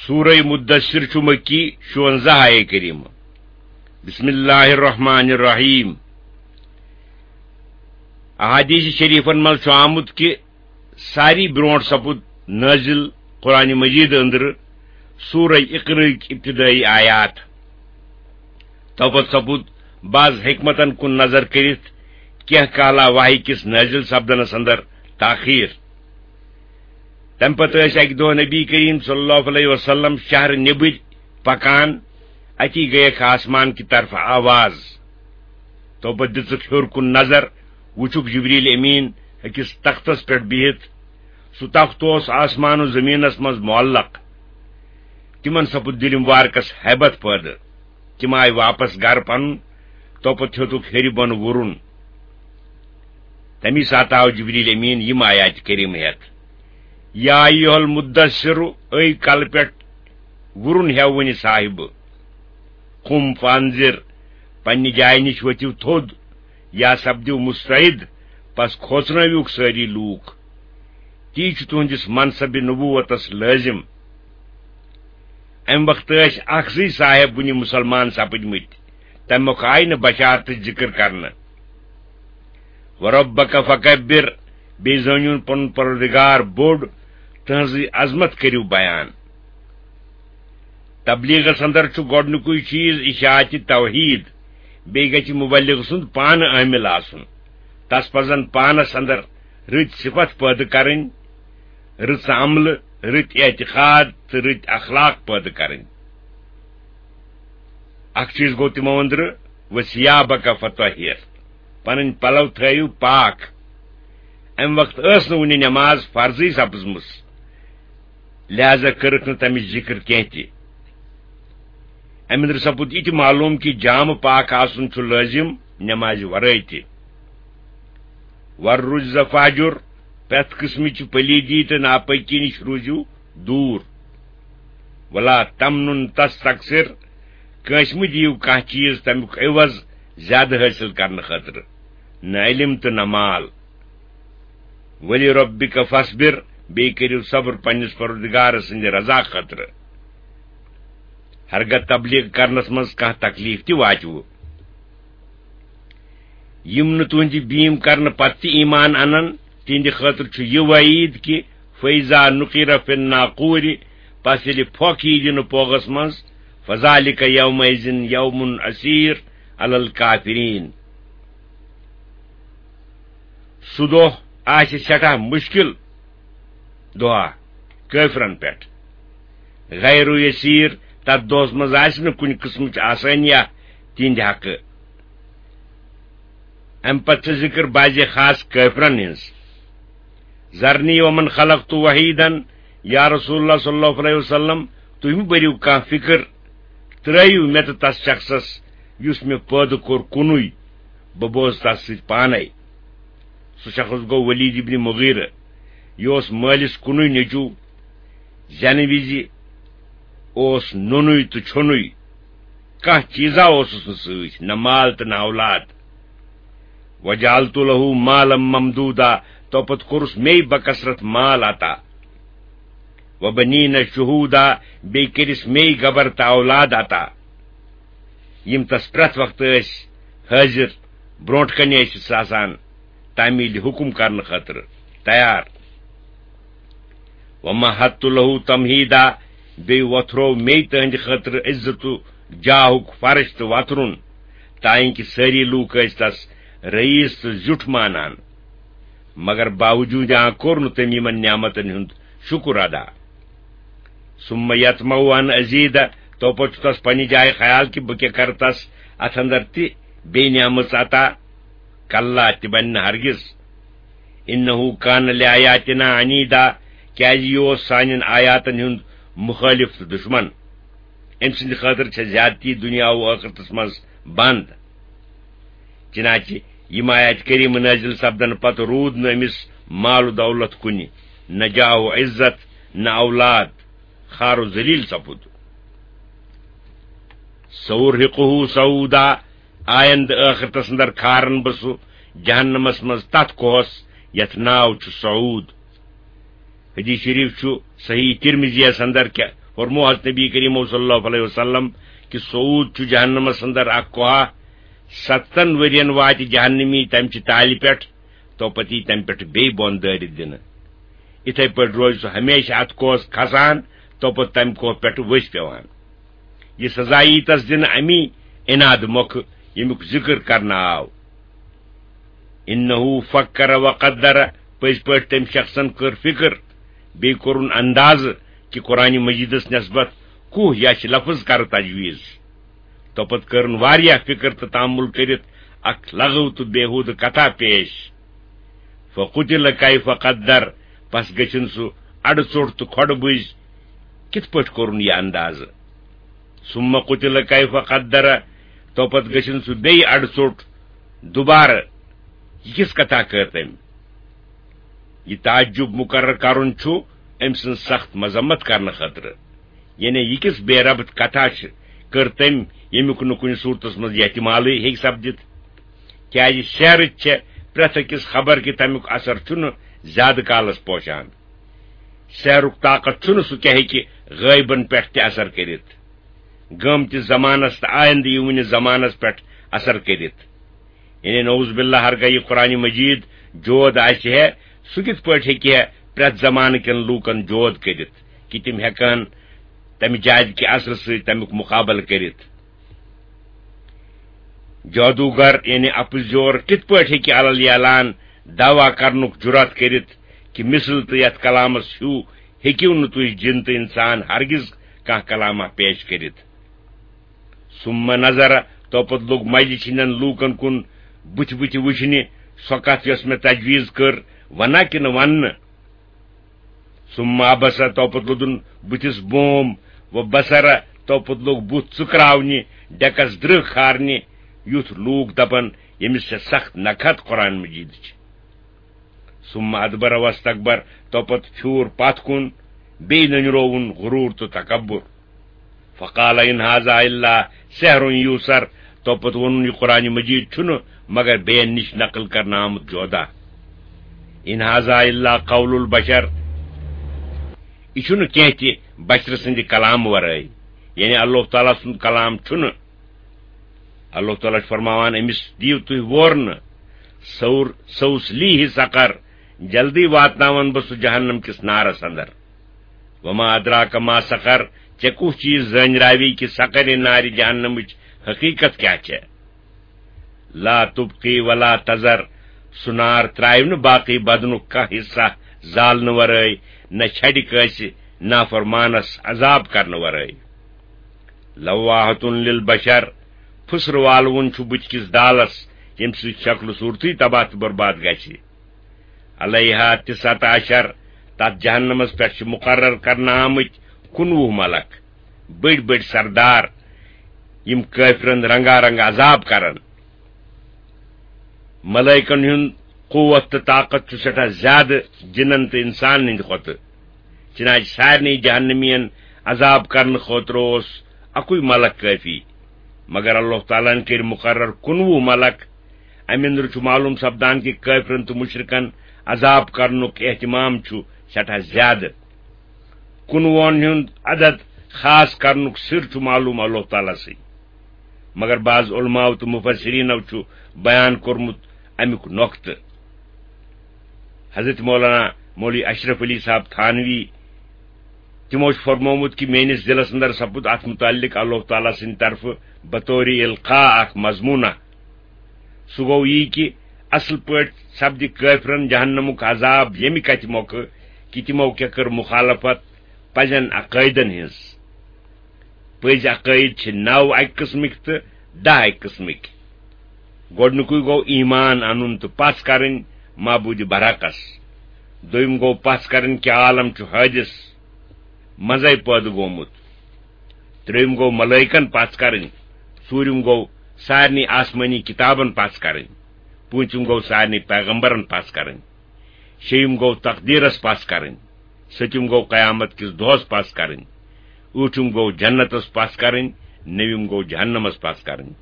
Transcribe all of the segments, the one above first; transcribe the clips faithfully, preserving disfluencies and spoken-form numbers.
سورہ مدثر چھُ مکی، شُونزہ آیے کریمہ۔ بسم اللہ الرحمن الرحیم۔ احادیث شریفن منٛز چھُ آمُت کہِ ساری برونٛٹھ سپُد نٲزِل قرآن مجید أنٛدرٕ سورہ اقرإٔکۍ ابتدٲئی آیات۔ توپتہٕ سپُد بعض حکمتن کُن نظر کٔرِتھ کینٛہہ کالا وحی کِس نٲزِل سپدنس اندر تاخیر۔ تمہِ پتہٕ ٲسۍ اکہِ دۄہ نبی کریم صلی اللہ علیہ وسلم شہر نیبر پکان، اتی گٔیکھ آسمان کہِ طرفہٕ آواز۔ توپتہٕ دِژٕکھ ہیوٚر کُن نظر، وُچھُکھ جبریل امین أکِس تختس پٮ۪ٹھ بِہِتھ۔ سُہ تخت اوس آسمان و زمینس منٛز معلق۔ تِمن سپُد دِلہِ مبارکس ہیبت پٲدٕ۔ تِم آیہِ واپس گرٕ پنُن، توپتہٕ ہیوٚتُکھ ہیٚرِ بۄن وُرُن۔ تمی ساتہٕ آو جبریل امین یِم آیات کریمہ ہٮ۪تھ، یا ایھا المدثر، اے کلہٕ پٮ۪ٹھ وُرُن ہٮ۪وٕنہِ صاحبہٕ، قم فانذر، پننہِ جایہِ نِش ؤتھِو تھوٚد، یا سپدِو مستعد، پس کھوژنٲوِوکھ سٲری لوٗکھ۔ تی چھُ تُہنٛدِس منصبِ نبوتس لٲزم۔ امہِ وقتہٕ ٲسۍ اکھ زٕے صاحب وُنہِ مُسلمان سپٕدمٕتۍ، تمہِ مۄکھٕ آیہِ نہٕ بشارتٕچ ذکر کرنہٕ۔ وربک فکبر، بیٚیہِ زٲنِوُن پنُن پروردگار بوٚڑ، تٕہنٛزٕے عظمت کٔرِو بیان۔ تبلیغس اندر چھُ گۄڈنیُکُے چیز اشاعتِ توحید، بیٚیہِ گژھِ مبلغ سُنٛد پانہٕ عامل آسُن۔ تس پزن پانس اندر رٕتۍ صفت پٲدٕ کرٕنۍ، رٕژ عملہٕ، رٕتۍ اعتقاد تہٕ رٕتۍ اخلاق پٲدٕ کرٕنۍ۔ اکھ چیز گوٚو تِمو أنٛدرٕ، وثیابک فطہر، پنٕنۍ پلو تھٲیِو پاک۔ امہِ وقتہٕ ٲس نہٕ وُنہِ نماز فرضٕے سپٕزمٕژ، لہذا کٔرٕکھ نہٕ تمِچ ذکر کینٛہہ تہِ۔ امہِ أنٛدرٕ سپُد یہِ تہِ معلوم کہِ جامہٕ پاک آسُن چھُ لٲزم نمازِ ورٲے تہِ۔ والرجز فاہجر، پرٛٮ۪تھ قٕسمٕچہِ پلیٖدی تہٕ ناپٲکی نِش روٗزِو دوٗر۔ ولا تمنن تستکثر، کٲنٛسہِ مہٕ دِیِو کانٛہہ چیٖز تمیُک عوض زیادٕ حٲصِل کرنہٕ خٲطرٕ، نہ علم تہٕ نہ مال۔ ولربک فاصبر، بیٚیہِ کٔرِو صبر پننِس پروردگار سٕنٛدِ رضا خٲطرٕ۔ ہرگاہ تبلیغ کرنس منٛز کانٛہہ تکلیف تہِ واتِوٕ۔ یِم نہٕ تُہنٛدِ بیٖم کرنہٕ پتہٕ تہِ ایمان انن، تِہنٛدِ خٲطرٕ چھُ یہِ وعید کہِ فیضا نقر فی الناقور، پس ییٚلہِ پھۄکھ یی دِنہٕ پوغس منٛز، فذالک یومئذ یوم عسیر علی الکافرین۔ سُہ دۄہ آسہِ سٮ۪ٹھاہ مُشکِل دۄہا کٲفرن پٮ۪ٹھ۔ غیر یسیر، تتھ دۄہس منٛز آسہِ نہٕ کُنہِ قٕسمٕچ آسٲنیہ تِہنٛدِ حقہٕ۔ امہِ پتہٕ چھِ ذکر بعضِ خاص کٲفرن ہٕنٛز۔ ذرنی ومن خلقت وحیدا، یا رسول اللہ صلی اللہ علیہ وسلم، تُہۍ مہٕ بٔرِو کانٛہہ فکر، ترٲیِو مےٚ تہٕ تس شخصس یُس مےٚ پٲدٕ کوٚر کُنُے، بہٕ بوزٕ تس سۭتۍ پانے۔ سُہ شخص گوٚو ولید ابن مغیرہ۔ یہِ اوس مٲلِس کُنُے نیٚچوٗ۔ زٮ۪نہٕ وِزِ اوس نوٚنُے تہٕ چھوٚنُے۔ کانٛہہ چیٖزا اوسُس نہٕ سۭتۍ، نہ مال تہٕ نہ اولاد۔ وجعلت له مالا ممدودا، توپتہٕ کوٚرُس مے بکثرت مال عطا۔ وبنین شہودا، بیٚیہِ کٔرِس مے گبر تہٕ اولاد عطا۔ یِم تس پرٛٮ۪تھ وقتہٕ ٲسۍ حٲضِر، برونٛٹھ کنہِ ٲسِس آسان تعمیٖلِ حُکُم کرنہٕ خٲطرٕ تیار۔ ومہدت له تمہیدا، بیٚیہِ وۄتھروو مے تٕہنٛدِ خٲطرٕ عزت و جاہُک فرش تہٕ وترُن، تانۍ کہِ سٲری لوٗکھ ٲسۍ تس رئیس تہٕ زیُٹھ مانان۔ مگر باوجوٗد آ کوٚر نہٕ تٔمۍ یِمن نعمتن ہُنٛد شُکر ادا۔ ثم یطمع ان ازید، توپتہٕ چھُ تس پننہِ جایہِ خیال کہِ بہٕ کیٛاہ کرٕ تس اتھ اندر تہِ بیٚیہِ نعمژ عطا۔ کلا، تہِ بنہِ نہٕ ہرگز۔ انہ کان لآیاتنا عنیدا، کیازِ یہِ اوس سانٮ۪ن آیاتن ہُنٛد مُخٲلِف تہٕ دُشمن۔ أمۍ سٕنٛدِ خٲطرٕ چھےٚ زیادتی دُنیا و ٲخرتس منٛز بنٛد۔ چنانچہ یِم آیات کریمہٕ نٲزِل سپدنہٕ پتہٕ روٗد نہٕ أمِس مال و دولت کُنہِ، نہ جاہ و عزت، نہ اولاد، خار و ذلیل سپُد۔ سأرهقه صعودا، آیندٕ ٲخرتس اندر کھارن بہٕ سُہ جہنمس منٛز تتھ کوہس یتھ ناو چھُ صعود۔ حدیث شریف چھُ صحیح ترمذیس اندر کہِ فرمو حضرت نبی کریم صلی اللہ علیہ وسلم کہ سعود چھُ جہنمس اندر اکھ کوہا، ستن ورین واتہِ جہنمی تمہِ چہِ تالہِ پٮ۪ٹھ، تو پتہٕ یی تمہِ پٮ۪ٹھ بیٚیہِ بۄن دٲرِتھ دِنہٕ۔ اِتھے پٲٹھۍ روزِ سُہ ہمیشہِ اتھ کوہس کھسان، تو پتہٕ تمہِ کوہ پٮ۪ٹھ ؤسۍ پٮ۪وان۔ یہِ سزا یی تس دِنہٕ امی عناد مۄکھٕ، ییٚمیُک ذکر کرنہٕ آو۔ انہ فکر وقدر، پٔزۍ پٲٹھۍ تٔمۍ شخصن کٔر فکر، بیٚیہِ کوٚرُن اندازٕ کہِ قرآن مجیدس نسبت کوہ یا چھِ لفظ کرٕ تجویز۔ توپتہٕ کٔرٕن واریاہ فکر تہٕ تامل کٔرِتھ اکھ لغو تہٕ بیہودٕ کتھا پیش۔ فقتل کیف قدر، پس گٔژھِن سُہ اڑٕ ژوٚٹ تہٕ کھۄڈٕ بُزۍ۔ کِتھ پٲٹھۍ کوٚرُن یہِ اندازٕ؟ ثم قتل کیف قدر، توپتہٕ گٔژھِن سُہ بیٚیہِ اڑٕ ژوٚٹ۔ دوبارٕ یہِ کِژھ کتھا کٔر تٔمۍ؟ یہِ تعجب مقرر کرُن چھُ أمۍ سٕنٛز سخت مذمت کرنہٕ خٲطرٕ۔ یعنی یہِ کِژھ بے ربط کتھا چھِ، کٔر تٔمۍ، ییٚمیُک نہٕ کُنہِ صورتس منٛز احتمالٕے ہیٚکہِ سپدِتھ؟ کیازِ سحرٕچ چھےٚ پرٛٮ۪تھ أکِس خبر کہِ تمیُک اثر چھُنہٕ زیادٕ کالس پوشان۔ سحرُک طاقت چھُنہٕ سُہ کیٛاہ ہیٚکہِ غٲیبن پٮ۪ٹھ تہِ اثر کٔرِتھ، گٲمتِس زمانس تہٕ آیندٕ یِوٕنِس زمانس پٮ۪ٹھ اثر کٔرِتھ۔ یعنی نعوذ باللہ، ہرگاہ یہِ قرآن مجید جود آسہِ ہے، سُہ کِتھ پٲٹھۍ ہیٚکہِ ہے پرٛٮ۪تھ زمانہٕ کٮ۪ن لوٗکن جود کٔرِتھ کہِ تِم ہٮ۪کہٕ ہن تمہِ جادِ کہِ اثرٕ سۭتۍ تمیُک مقابلہٕ کٔرِتھ؟ جادوگر یعنی اپُز یور کِتھ پٲٹھۍ ہیٚکہِ علل اعلان دعویٰ کرنُک جرات کٔرِتھ کہِ مثل تہٕ یتھ کلامس ہیوٗ ہیٚکِو نہٕ تُہۍ جِن تہٕ انسان ہرگز کانٛہہ کلامہ پیش کٔرِتھ؟ ثم نظر، توپتہٕ لوٚگ مجلس ہٕنٛدٮ۪ن لوٗکن کُن بُتھِ بُتھِ وٕچھنہِ، سۄ کتھ یۄس مےٚ تجویز کٔر، ونہ کِنہٕ وننہٕ؟ ثم عبس، توپتہٕ لوٚدُن بُتھِس بوم، و بصر، توپتہٕ لوٚگ بُتھ ژُکراونہِ، ڈیکس درٕہ کھارنہِ، یُتھ لوٗکھ دپن، ییٚمِس چھےٚ سخت نکحت قرآن مجیدٕچ۔ ثم ادبر واستکبر، توپتہٕ پھیوٗر پتھ کُن، بیٚیہِ نٔنرووُن غروٗر تہٕ تکبر۔ فقال ان هذا الا سحر یوثر، توپتہٕ ووٚنُن، یہِ قرآن مجید چھُنہٕ مگر بیٚین نِش نقل کرنہٕ آمُت جودا۔ ان هذا الا قول البشر، یہِ چھُنہٕ کینٛہہ تہِ بشرٕ سٕنٛدِ کلام ورٲے، یعنی اللہ تعالیٰ سُنٛد کلام چھُنہٕ۔ اللہ تعالیٰ چھُ فرماوان، أمِس دِیِو تُہۍ وورنہٕ، سور-، سوسلیہ سقر، جلدی واتناون بہٕ سُہ جہنم کِس نارس اندر۔ وما ادراک ما سقر، ژےٚ کُس چیٖز زٲنۍ راوی کہِ سقر نارِ جہنمٕچ حقیقت کیٛاہ چھےٚ؟ لا تبقی ولا تذر، سُہ نار ترٛاوِ نہٕ باقٕے بدنُک کانٛہہ حصہ زالنہٕ ورٲے، نہ چھڑِ کٲنٛسہِ نافرمانس عذاب کرنہٕ ورٲے۔ لواحۃ للبشر، پھُسرٕ والوُن چھُ بُتھِ کِس دالس، ییٚمہِ سۭتۍ شکلہٕ صوٗرتٕے تباہ تہٕ برباد گژھِ۔ علیہا تسعۃ عشر، تتھ جہنمس پٮ۪ٹھ چھِ مقرر کرنہٕ آمٕتۍ کُنوُہ ملک، بٔڑۍ بٔڑۍ سردار، یِم کٲفرن رنگا رنگ عذاب کرن۔ ملائکن ہُنٛد قوت تہٕ طاقت چھُ سٮ۪ٹھاہ زیادٕ جِنن تہٕ اِنسانن ہٕنٛدِ کھۄتہٕ۔ چنانچہ سارنٕے جہنمین عذاب کرنہٕ خٲطرٕ اوس اکُے ملک کٲفی، مگر اللہ تعالیٰ ہن کٔرۍ مقرر کُنوُہ ملک۔ امہِ اندرٕ چھُ معلوم سپدان کہِ کٲفرن تہٕ مشرکن عذاب کرنُک اہتمام چھُ سٮ۪ٹھاہ زیادٕ۔ کُنوُہن ہُنٛد عدد خاص کرنُک سر چھُ معلوم اللہ تعالیٰ سٕے، مگر بعض علماء تہٕ مفسرینو چھُ بیان کوٚرمُت امیُک نۄقطہٕ۔ حضرت مولانا مولوی اشرف علی صاحب تھانوی، تِمو چھُ فرمومُت کہِ میٲنِس دِلس اندر سپُد اتھ متعلق اللہ تعالیٰ سٕنٛدِ طرفہٕ بطور القاء اکھ مضموٗنہ۔ سُہ گوٚو یی کہِ اصل پٲٹھۍ سپدِ کٲفرن جہنمُک عذاب ییٚمہِ کتھِ مۄکھٕ کہِ تِمو کیٛاہ کٔر مخالفت پزٮ۪ن عقٲیدن ہٕنٛز۔ پٔزۍ عقٲیِد چھِ نَو اَکہِ قٕسمٕکۍ تہٕ دَہ اَکہِ قٕسمٕکۍ۔ گۄڈٕنیُکُے گوٚو ایمان اَنُن تہٕ پَژھ کَرٕنۍ معبوٗدِ برحقَس۔ دوٚیِم گوٚو پَژھ کَرٕنۍ کہِ عالم چھُ حٲدِث، منٛزَے پٲدٕ گوٚمُت۔ ترٛیٚیِم گوٚو ملٲیکَن پَژھ کَرٕنۍ۔ ژوٗرِم گوٚو سارنٕے آسمٲنی کِتابَن پَژھ کَرٕنۍ۔ پوٗنٛژِم گوٚو سارنٕے پیغمبرَن پَژھ کَرٕنۍ۔ شیٚیِم گوٚو تقدیٖرَس پَژھ کَرٕنۍ۔ سٔتِم گوٚو قیامت کِس دۄہَس پَژھ کَرٕنۍ۔ ٲٹھِم گوٚو جنتَس پَژھ کَرٕنۍ۔ نٔوِم گوٚو جہنمَس پَژھ کَرٕنۍ۔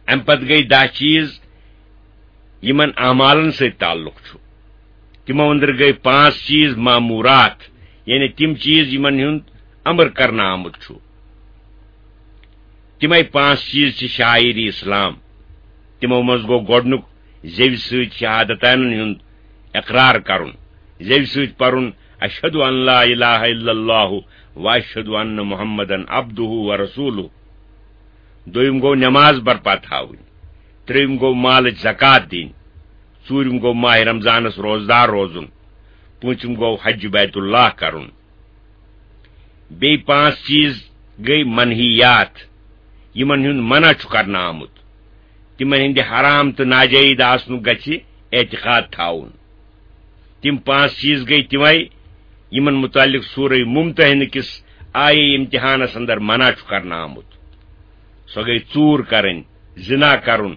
اَمہِ پَتہٕ گٔے دَہ چیٖز، یِمَن اعمالَن سۭتۍ تعلق چھُ۔ تِمو أنٛدرٕ گٔے پانٛژھ چیٖز ماموٗرات، یعنی تِم چیٖز، یِمَن ہُنٛد امر کرنہٕ آمُت چھُ۔ تِمے پانٛژھ چیٖز چھِ شاعری اسلام۔ تِمو منٛز گوٚو گۄڈٕنیُک زیوِ سۭتۍ شہادتانن ہُنٛد اقرار کرُن، زیوِ سۭتۍ پرُن، "اشہد ان لا الہ الا اللہ و اشہد ان محمدن عبدہ و رسولہ۔" دوٚیِم گوٚو نماز برپا تھاوٕنۍ، ترٛیٚیِم گوٚو مالٕچ زکوٰۃ دِنۍ، ژوٗرِم گوٚو ماہِ رمضانس روزدار روزُن، پوٗنٛژِم گوٚو حج بیت اللہ کرُن۔ بیٚیہِ پانٛژھ چیٖز گٔے منحیات، یِمن ہُنٛد منع چھُ کرنہٕ آمُت۔ تِمن ہٕنٛدِ حرام تہٕ ناجٲیز آسنُک گژھِ اعتقاد تھاوُن۔ تِم پانٛژھ چیٖز گٔے تِمے، یِمن مُتعلق سورہ ممتحنہ کِس آیے امتحانس اندر منع چھُ کرنہٕ آمُت۔ سۄ گٔے ژوٗر کرٕنۍ، زنا کرُن،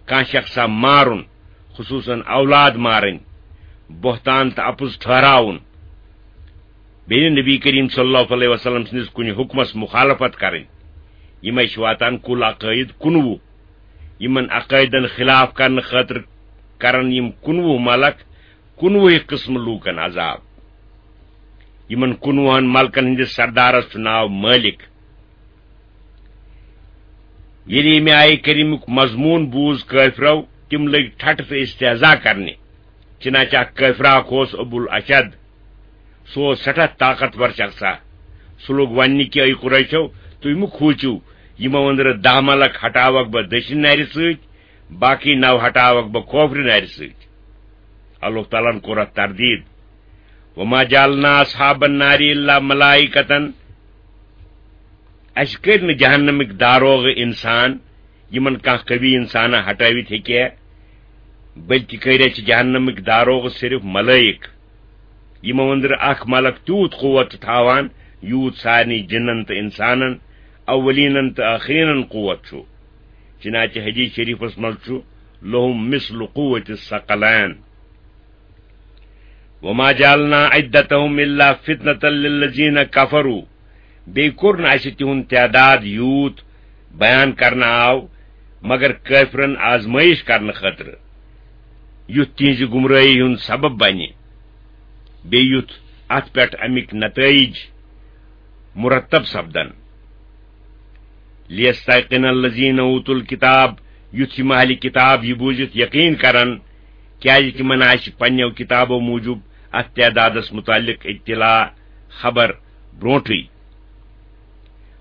کانٛہہ شخصا مارُن، خصوصاً اولاد مارٕنۍ، بہتان تہٕ اپُز ٹھہراوُن، بیٚیہِ نبی کریم صلی اللہ علیہ وسلم سٕنٛدِس کُنہِ حُکمس مُخالفت کرٕنۍ۔ یِمے چھِ واتان کُل عقٲیِد کُنوُہ۔ یِمن عقٲیدن خلاف کرنہٕ خٲطرٕ کرن یِم کُنوُہ ملک کُنوُہہِ قٕسمہٕ لوٗکن عذاب۔ یِمن کُنوُہن ملکن ہٕنٛدِس سردارس چھُ ناو مٲلِک۔ ییٚلہِ ییٚمہِ آیہِ کریمُک مضموٗن بوٗز کٲفرو، تِم لٔگۍ ٹھٹھٕ تہٕ استہزا کرنہِ۔ چنانچہ اکھ کٲفرا اکھ اوس ابو الاشد۔ سُہ اوس سٮ۪ٹھاہ طاقتور شخصا۔ سُہ لوٚگ وننہِ کہِ، "اے قریشو، تُہۍ مہٕ کھوٗژِو، یِمو أنٛدرٕ دَہ ملک ہٹاوکھ بہٕ دٔچھِنۍ نرِ سۭتۍ، باقٕے نَو ہٹاوکھ بہٕ کھوفرِ نرِ سۭتۍ۔" اللہ تعالیٰ ہن کوٚر اتھ تردید، "وما جعلنا اصحاب النار الا ملائکة"۔ اسہِ کٔرۍ نہٕ جہنمٕکۍ داروغ انسان، یِمن کانٛہہ قوی انسانا ہٹٲوِتھ ہیٚکہِ ہے، بلکہِ کٔرۍ اسہِ جہنمٕکۍ داروغ صرف ملائک۔ یِمو أنٛدرٕ اکھ ملک تیوٗت قوت چھُ تھاوان، یوٗت سارنٕے جِنن تہٕ انسانن، اولینن تہٕ ٲخرینن قوت چھُ۔ چنانچہ حدیث شریفس منٛز چھُ، "لہم مثل قوت الثقلین۔" وما جعلنا عدتهم الا فتنة للذین کفروا۔ بیٚیہِ کوٚر نہٕ اسہِ تِہُنٛد تعداد یوٗت بیان کرنہٕ آو، مگر کٲفرن آزمٲیش کرنہٕ خٲطرٕ، یُتھ تِہنٛزِ گمرٲہی ہُنٛد سبب بنہِ، بیٚیہِ یُتھ اتھ پٮ۪ٹھ امِکۍ نتائج مرتب سپدن۔ لیستیقن الذین اوتوا الکتاب، یُتھ یِم اہلِ کتاب یہِ بوٗزِتھ یقین کرن، کیازِ تِمن آسہِ پننیو کتابو موٗجوٗب اتھ تعدادس متعلق اطلاع، خبر، برونٹھٕے۔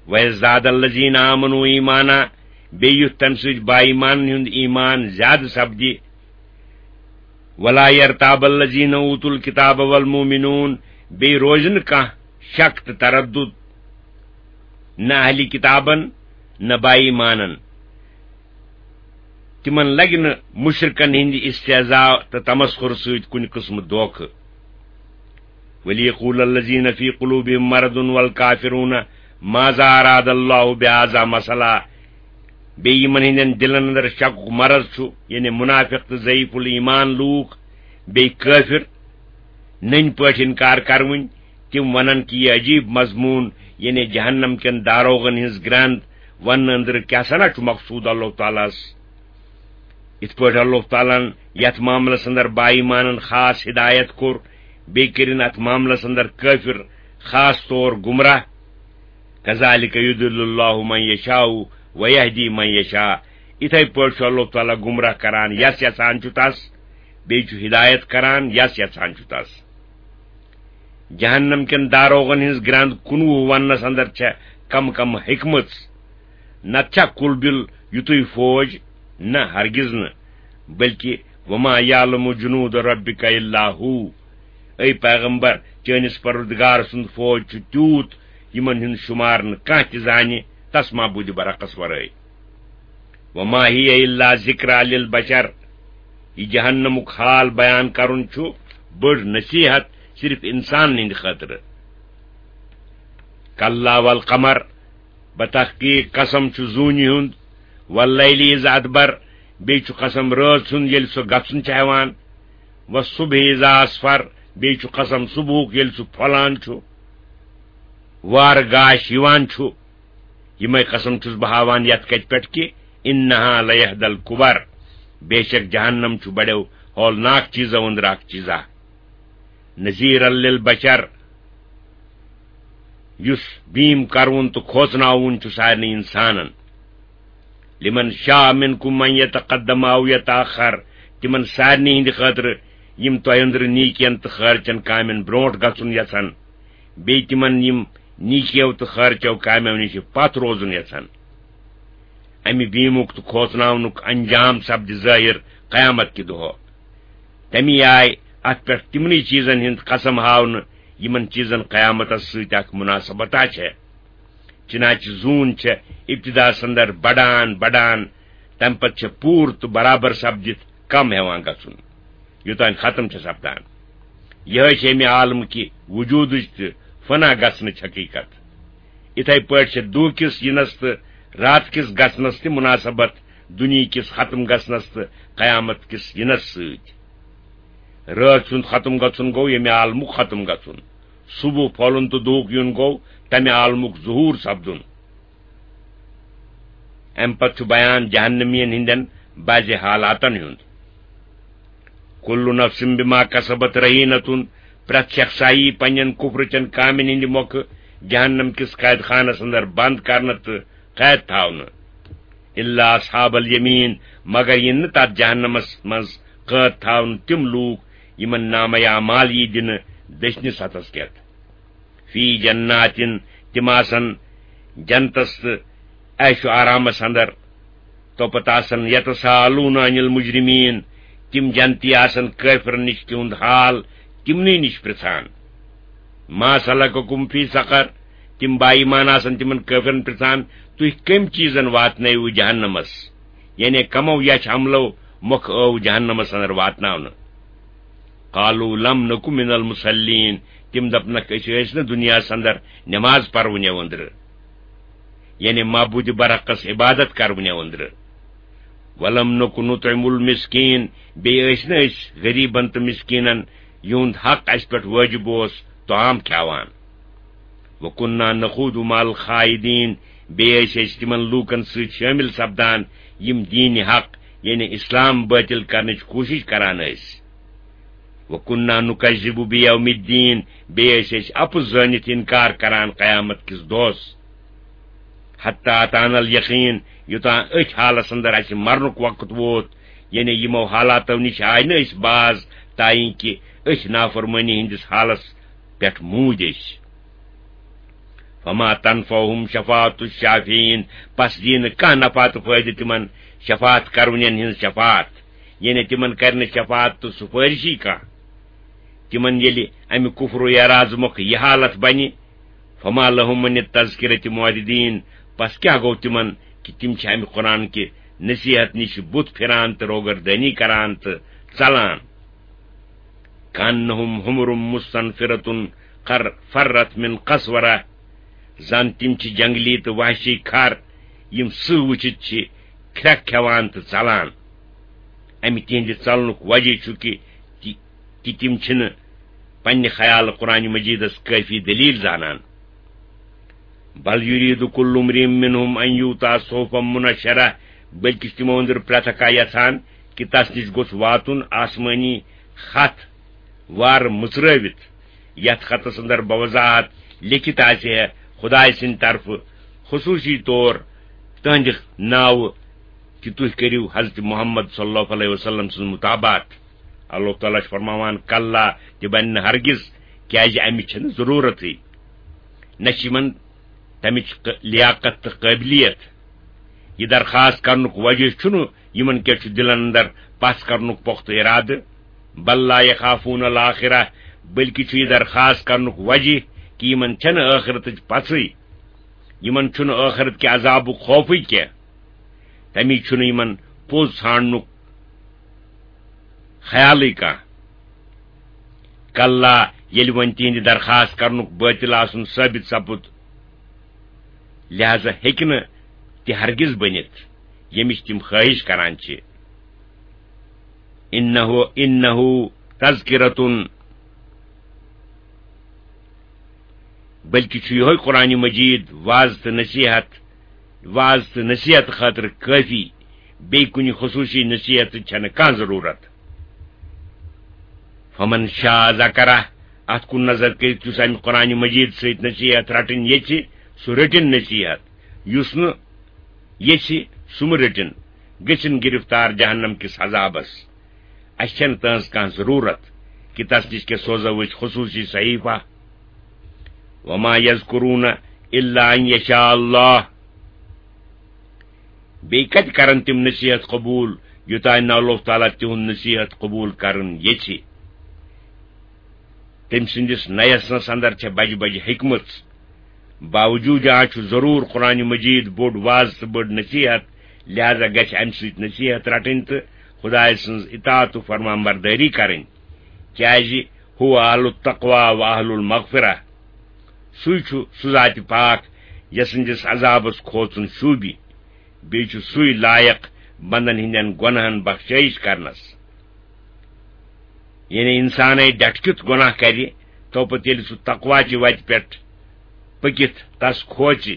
ویزداد الذین آمنوا ایمانا، بیٚیہِ یُتھ تمہِ سۭتۍ با ایمانن ہُنٛد ایمان زیادٕ سپدِ۔ ولا یرتاب الذین اوتوا الکتاب والمؤمنون، بیٚیہِ روزِ نہٕ کانٛہہ شک تہٕ تردُد، نہ اہلِ کتابن، نہ با ایمانن۔ تِمن لگہِ نہٕ مشرکن ہٕنٛدِ استہزاء تہٕ تمسخر سۭتۍ کُنہِ قٕسمہٕ دھوکہٕ۔ ولیقول الذین فی قلوبہم مرض والکافرون ماذا اراد اللہ بہذا مثلا۔ بیٚیہِ یِمن ہٕنٛدٮ۪ن دِلن اندر شکُک مرض چھُ، یعنی منافق تہٕ ضعیف الایمان لوٗکھ، بیٚیہِ کٲفر، نٔنۍ پٲٹھۍ انکار کروٕنۍ، تِم ونن کہِ یہِ عجیب مضمون، یعنی جہنم کٮ۪ن داروغن ہٕنٛز گرند وننہٕ أنٛدرٕ کیٛاہ سنا چھُ مقصوٗد اللہ تعالیٰ ہس؟ یِتھ پٲٹھۍ اللہ تعالیٰ ہن یتھ معاملس اندر با ایمانن خاص ہدایت کوٚر، بیٚیہِ کٔرِن اتھ معاملس اندر کٲفر خاص طور گمراہ۔ کذالک یضل اللہ من یشاء و یہدی من یشاء۔ یِتھے پٲٹھۍ چھُ اللہ تعالیٰ گمراہ کران یس یژھان چھُ تس، بیٚیہِ چھُ ہدایت کران یس یژھان چھُ تس۔ جہنم کٮ۪ن داروغن ہٕنٛز گرٛنٛد کُنوُہ وننس اندر چھےٚ کم کم ہیٚکمٕژ۔ نتہٕ چھا کُل بِل یُتُے فوج؟ نہ، ہرگز نہٕ۔ بلکہ وما یعلم جنود ربک الا ہو۔ اے پیغمبر، چٲنِس پروردگار سُنٛد فوج چھُ تیوٗت، یِمن ہُنٛد شُمار نہٕ کانٛہہ تہِ زانہِ، تس معبوٗدِ برحقس ورٲے۔ وما ہی الا ذکری للبشر۔ یہِ جہنمُک حال بیان کرُن چھُ بٔڑ نصیحت صرف انسانن ہٕنٛدِ خٲطرٕ۔ کلا والقمر، بتحقیق قسم چھُ زوٗنہِ ہُنٛد، واللیل اذ ادبر، بیٚیہِ چھُ قسم رٲژ ہُنٛد ییٚلہِ سۄ گژھُن چھِ ہٮ۪وان، والصبح اذا اسفر، بیٚیہِ چھُ قسم صبحُک ییٚلہِ سُہ پھۄلان چھُ، وارٕ گاش یِوان چھُ۔ یِمے قسم چھُس بہٕ ہاوان یتھ کتھِ پٮ۪ٹھ کہِ انہا لیحدی الکبر، بے شک جہنم چھُ بڑیو ہولناک چیزو اندر اکھ چیزا۔ نذیرا للبشر، یُس بیم کرون تہٕ کھوژناوُن چھُ سارنٕے انسانن۔ لمن شاء منکم ان یتقدم او یتاخر، تِمن سارنٕے ہٕنٛدِ خٲطرٕ یِم تۄہہِ أنٛدرٕ نیٖکین تہٕ خٲرچن کامٮ۪ن برونٛٹھ گژھُن یژھن، بیٚیہِ تِمن یِم نیٖکیو تہٕ خٲرچو کامٮ۪و نِش پتھ روزُن یژھن۔ امہِ بیمُک تہٕ کھوژناونُک انجام سپدِ ظٲہِر قیامت کہِ دۄہہ۔ تمی آیہِ اتھ پٮ۪ٹھ تِمنٕے چیٖزن ہُنٛد قسم ہاونہٕ، یِمن چیٖزن قیامتس سۭتۍ اکھ مناسبت آسہِ۔ چنانچہ زوٗن چھےٚ ابتداہس اندر بڑان بڑان، تمہِ پتہٕ چھےٚ پوٗرٕ تہٕ برابر سپدِتھ کم ہٮ۪وان گژھُن، یوٚتام ختم چھےٚ سپدان۔ یِہوٚے چھےٚ امہِ عالمہٕ کہِ وجوٗدٕچ تہٕ فنا گژھنٕچ حقیقت۔ یِتھے پٲٹھۍ چھےٚ دُہ کِس یِنس تہٕ راتھ کِس گژھنس تہِ مناسبت دُنیہٕ کِس ختم گژھنس تہٕ قیامت کِس یِنس سۭتۍ۔ رٲژ ہُنٛد ختم گژھُن گوٚو ییٚمہِ عالمُک ختم گژھُن۔ صبح پھۄلُن تہٕ دُہُک یُن گوٚو تَمہِ عالمُک ظہوٗر سپدُن۔ اَمہِ پتہٕ چھُ بیان جہنمین ہٕنٛدٮ۪ن بعضِ حالاتن ہُنٛد۔ کل نفس بما کسبت رہینتن، پرٛٮ۪تھ شخص آیی پننٮ۪ن کفرٕچٮ۪ن کامٮ۪ن ہٕنٛدِ مۄکھٕ جہنم کِس قید خانس اندر بند کرنہٕ تہٕ قید تھاونہٕ۔ الا اصحاب الیمین، مگر یِن نہٕ تتھ جہنمس منٛز قٲد تھاونہٕ تِم لوٗکھ یِمن نامہ اعمال یی دِنہٕ دٔچھنِس ہتھس کٮ۪تھ۔ فی جناتن، تِم آسن جنتس تہٕ عیش و آرامس اندر۔ توپتہٕ آسن یتساءلون عن المجرمین، تِم جنتی آسن کٲفرن نِش تِہُنٛد حال تِمنٕے نِش پرژھان۔ ما سلککم فی سقر، تِم با ایمان آسن تِمن کٲفرن پرژھان، تُہۍ کٔمۍ چیٖزن واتنٲوِو جہنمس؟ یعنی کمو یچھ عملو مۄکھ ٲو جہنمس اندر واتناونہٕ؟ قالوا لم نک من المصلین، تِم دپنکھ، أسۍ ٲسۍ نہٕ دُنیاہس اندر نماز پرونہِ أنٛدرٕ، یعنی معبود برحقس عبادت کرونہِ أنٛدرٕ۔ ولم نک نطعم المسکین، بیٚیہِ ٲسۍ نہٕ أسۍ غریبن تہٕ مسکینن، یِہُنٛد حق اسہِ پٮ۪ٹھ وٲجب اوس، طعام کھیاوان۔ وَكُنَّا نَخُوضُ مَعَ الْخَائِضِينَ، بیٚیہِ ٲسۍ أسۍ تِمن لوٗکن سۭتۍ شٲمِل سپدان، یِم دیٖنِ حق، یعنی اسلام، بٲطِل کرنٕچ کوٗشِش کران ٲسۍ۔ وَكُنَّا نُكَذِّبُ بِيَوْمِ الدِّينِ، بیٚیہِ ٲسۍ أسۍ اَپُز زٲنِتھ اِنکار کران قیامت کِس دۄہس۔ حَتَّىٰ أَتَانَا الْيَقِينُ، یوٚتام أتھۍ حالس اندر اَسہِ مرنُک وقت ووت، یعنی یِمو حالاتو نِش آے نہٕ أسۍ باز، تاینکہِ أتھۍ نافرمٲنی ہٕنٛدِس حالس پٮ۪ٹھ موٗدۍ أسۍ۔ فما تنفعہم شفاعت الشافعین، پس دِیہِ نہٕ کانٛہہ نفع تہٕ فٲیدٕ تِمن شفاعت کرونٮ۪ن ہٕنٛز شفاعت، یعنی تِمن کرِ نہٕ شفاعت تہٕ سُفٲرِشی کانٛہہ۔ تِمن ییٚلہِ امہِ کفر و اعراض مۄکھ یہِ حالت بنہِ، فما لهم عن التذکرة معرضین، پس کیٛاہ گوٚو تِمن کہِ تِم چھِ امہِ قرآن کہِ نصیحت نِش بُتھ پھِران تہٕ روگردٲنی کران تہٕ ژلان؟ کأنہم حمر مستنفرة قر فرت من قسورہ، زن تِم چھِ جنگلی تہٕ وحشی کھر، یِم سٕہہ وٕچھِتھ چھِ کھرٛٮ۪کھ کھٮ۪وان تہٕ ژلان۔ امہِ تِہنٛدِ ژلنُک وجہ چھُ کہِ تہِ-، کہِ تِم چھِنہٕ پننہِ خیالہٕ قرآن مجیدس کٲفی دلیل زانان۔ بل یرید کل امرئ منہم ان یؤتی صحفا منشرہ، بلکہ چھِ تِمو أنٛدرٕ پرٛٮ۪تھ اکھا یژھان کہِ تس نِش گوٚژھ واتُن آسمٲنی خط وارٕ مٕژرٲوِتھ، یتھ خطس اندر بوضاحت لیکھِتھ آسہِ ہے خدایہِ سٕنٛدِ طرفہٕ خصوصی طور تہنٛدِ ناوٕ کہِ تُہۍ کٔرِو حضرت محمد صلی اللہ علیہ وسلم سٕنٛز متابعت۔ اللہ تعالیٰ چھُ فرماوان، کلا، تہِ بنہِ نہٕ ہرگز، کیازِ امِچ چھنہٕ ضرورتٕے۔ نہ چھِ یِمن تمِچ ق-، لیاقت تہٕ قٲبلیت۔ یہِ درخواست کرنُک وجہ چھُنہٕ یِمن کیٛاہ چھُ دِلن اندر پژھ کرنُک پۄختہٕ ارادٕ۔ بل لا یخافون الآخرہ، بلکہ چھُ یہِ درخواست کرنُک وجہ کہِ یِمن چھنہٕ ٲخرتٕچ پژھٕے۔ یِمن چھُنہٕ ٲخرت کہِ عذابُک خوفٕے کینٛہہ۔ تمی چھُنہٕ یِمن پوٚز ژھانڈنُک خیالٕے کانٛہہ۔ کلا، ییٚلہِ وۄنۍ تِہنٛدِ درخواست کرنُک بٲطِل آسُن ثٲبت سپُد، لہذا ہیٚکہِ نہٕ تہِ ہرگز بٔنِتھ، ییٚمِچ تِم خٲہِش کران چھِ۔ انہ، انہ تذکرۃ، بلکہ چھُ یِہوٚے قرآن مجید واز تہٕ نصیحت، واز تہٕ نصیحت خٲطرٕ کٲفی، بیٚیہِ کُنہِ خصوٗصی نصیحتٕچ چھنہٕ کانٛہہ ضروٗرت۔ فمن شاء ذکرہ، اتھ کُن نظر کٔرِتھ، یُس امہِ قرآن مجید سۭتۍ نصیحت رٹٕنۍ یژھِ، سُہ رٔٹِن نصیحت، یُس نہٕ یژھِ، سُہ مہٕ رٔٹِن، گٔژھِن گرفتار جہنم کِس عذابس۔ اسہِ چھنہٕ تہنٛز کانٛہہ ضروٗرت کہِ تس نِش کیٛاہ سوزو أسۍ خصوٗصی صحیفہ۔ وما یذکرون الا ان یشاء اللہ۔ بیٚیہِ کتہِ کرن تِم نصیحت قبول، یوٚتام نہٕ اللہ تعالیٰ تِہُنٛد نصیحت قبول کرن یژھِ؟ تٔمۍ سٕنٛدِس نَیَس نَس اندر چھےٚ بجہِ بجہِ حکمت۔ باوجوٗد آز چھُ ضروٗر قرآن مجید بوٚڑ واز تہٕ بٔڑ نصیحت، لہذا گژھِ امہِ سۭتۍ نصیحت رٹٕنۍ تہٕ خدایہِ سٕنٛز اطاعت و فرمان بردٲری کرٕنۍ، کیازِ ہو اہل التقوی و اہل المغفرہ۔ سُے چھُ سُہ ذاتِ پاک، یَس سٕنٛدِس عذابس کھوژُن شوٗبہِ۔ بیٚیہِ چھُ سُے لایق بندن ہٕنٛدٮ۪ن گۄناہن بخشٲیِش کرنس۔ یعنی انسانے ڈٹھ کیُتھ گۄناہ کرِ، تو پتہٕ ییٚلہِ سُہ تقوی چہِ وتہِ پٮ۪ٹھ پٔکِتھ تس کھوژِ،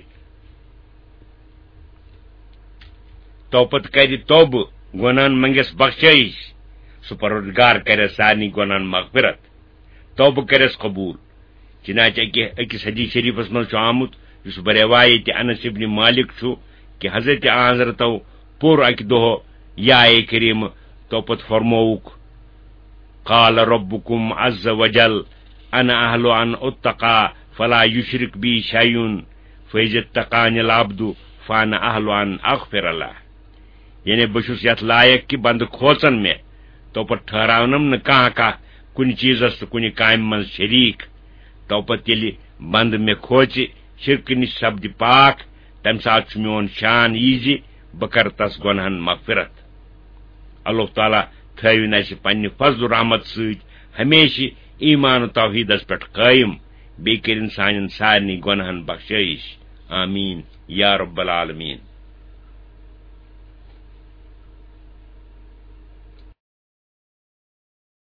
تو پتہٕ کرِ توبہٕ، گۄناہن منگٮ۪س بخشٲیِش، سُہ پروردگار کرٮ۪س سارنٕے گۄناہن مغفرت، توبہٕ کرٮ۪س قبول۔ چنانچہ أکہِ، أکِس حدیث شریفس منٛز چھُ آمُت، یُس بہ روایت انس ابن مالک چھُ، کہ حضرت آن حضرتو پوٚر اکہِ دۄہ یا اے کریم، تو پتہٕ فرمووُکھ، قال ربکم عز وجل، انا اہل ان اتقا فلا یشرک بی شیئن، فاذا اتقانی العبد فانا اہل ان اغفر له۔ یعنی بہٕ چھُس یتھ لایق کہ بندٕ کھوژن مےٚ، تو پتہٕ ٹھہراونم نہٕ کانٛہہ کانٛہہ کُنہِ چیٖزس تہٕ کُنہِ کامہِ منٛز شریٖک۔ تو پتہٕ ییٚلہِ بندٕ مےٚ کھوژِ، شرکہٕ نِش سپدِ پاک، تمہِ ساتہٕ چھُ میون شان یی زِ بہٕ کرٕ تس گۄنہن مغفرت۔ اللہ تعالیٰ تھٲوِن اسہِ پننہِ فضل و رحمت سۭتۍ ہمیشہِ ایمان و توحیٖدس پٮ۪ٹھ قٲیِم، بیٚیہِ کٔرِن سانٮ۪ن سارنٕے گۄنہن بخشٲیِش۔ آمین یا رب العالمین۔